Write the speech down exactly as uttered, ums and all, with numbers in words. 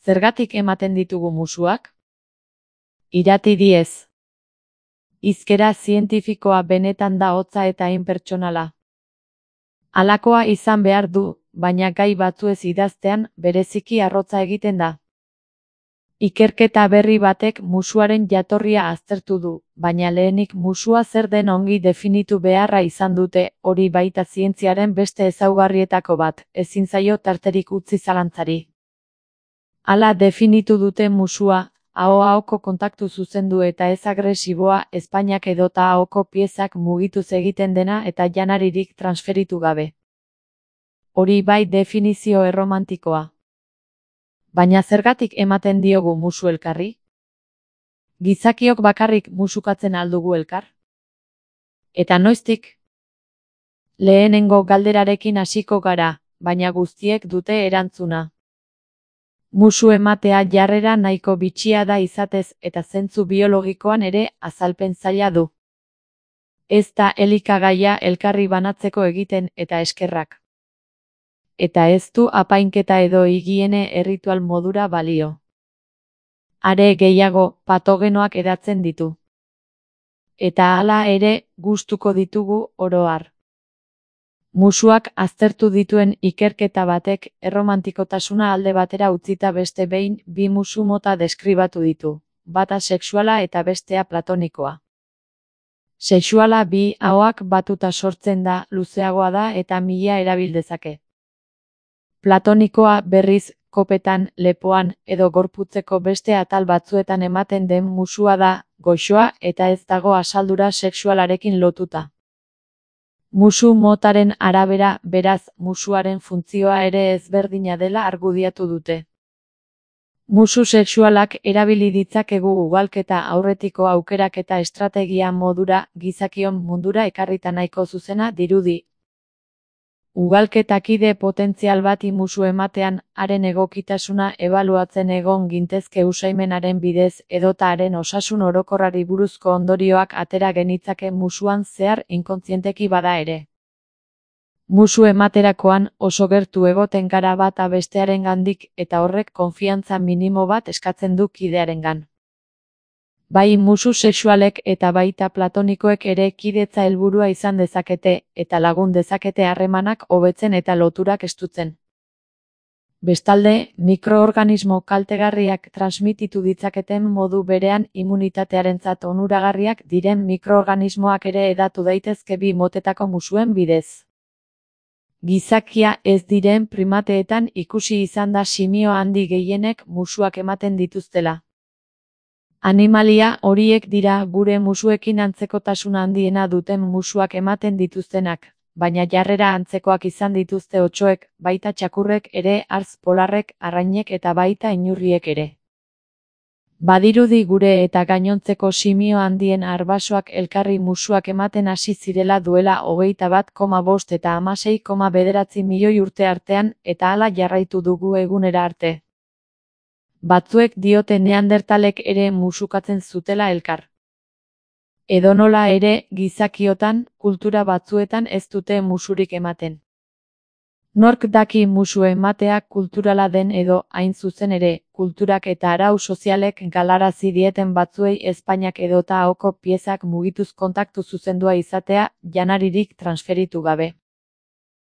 Zergatik ematen ditugu musuak? Irati diez. Hizkera zientifikoa benetan da hotza eta inpertsonala. Halakoa izan behar du, baina gai batzuez idaztean bereziki arrotza egiten da. Ikerketa berri batek musuaren jatorria aztertu du, baina lehenik musua zer den ongi definitu beharra izan dute, hori baita zientziaren beste ezaugarrietako bat, ezin zaio tarterik utzi zalantzari. Hala definitu dute musua, aho-ahoko kontaktu zuzendu eta ez agresiboa, ezpainak edota ahoko piezak mugituz egiten dena eta janaririk transferitu gabe. Hori bai definizio erromantikoa. Baina zergatik ematen diogu musu elkarri? Gizakiok bakarrik musukatzen aldugu elkar? Eta noiztik? Lehenengo galderarekin hasiko gara, baina guztiek dute erantzuna. Musu ematea jarrera nahiko bitxia da izatez eta zentzu biologikoan ere azalpen zaila du. Ez da elikagaia elkarri banatzeko egiten eta eskerrak. Eta ez du apainketa edo higiene erritual modura balio. Are gehiago, patogenoak edatzen ditu. Eta hala ere, gustuko ditugu oro har. Musuak aztertu dituen ikerketa batek erromantikotasuna alde batera utzita beste behin bi musu mota deskribatu ditu, bata sexuala eta bestea platonikoa. Sexuala bi ahoak batuta sortzen da, luzeagoa da eta mila erabil dezake. Platonikoa berriz, kopetan, lepoan edo gorputzeko beste atal batzuetan ematen den musua da, goxoa eta ez dago asaldura sexualarekin lotuta. Musu motaren arabera, beraz, musuaren funtzioa ere ezberdina dela argudiatu dute. Musu sexualak erabili ditzakegu ugalketa aurretiko aukeraketa estrategia modura, gizakion mundura ekarrita nahiko zuzena dirudi. Ugalketakide potentzial bati musu ematean, haren egokitasuna ebaluatzen egon gintezke usaimenaren bidez edota haren osasun orokorrari buruzko ondorioak atera genitzake musuan zehar inkontzienteki bada ere. Musu ematerakoan oso gertu egoten gara bata bestearengandik eta horrek konfiantza minimo bat eskatzen du kidearengan. Bai musu sexualek eta baita platonikoek ere kidetza helburua izan dezakete, eta lagun dezakete harremanak hobetzen eta loturak estutzen. Bestalde, mikroorganismo kaltegarriak transmititu ditzaketen modu berean immunitatearentzat onuragarriak diren mikroorganismoak ere hedatu daitezke bi motetako musuen bidez. Gizakia ez diren primateetan ikusi izan da simio handi gehienek musuak ematen dituztela. Animalia horiek dira gure musuekin antzekotasun handiena duten musuak ematen dituztenak, baina jarrera antzekoak izan dituzte otsoek, baita txakurrek ere, hartz polarrek, arrainek eta baita inurriek ere. Badirudi gure eta gainontzeko simio handien arbasoak elkarri musuak ematen hasi zirela duela hogeita bat koma bost eta hamasei koma bederatzi milioi urte artean eta hala jarraitu dugu egunera arte. Batzuek diote neandertalek ere musukatzen zutela elkar. Edonola ere, gizakiotan, kultura batzuetan ez dute musurik ematen. Nork daki musu ematea kulturala den edo, hain zuzen ere, kulturak eta arau sozialek galarazi dieten batzuei ezpainak edota ahoko piezak mugituz kontaktu zuzendua izatea, janaririk transferitu gabe.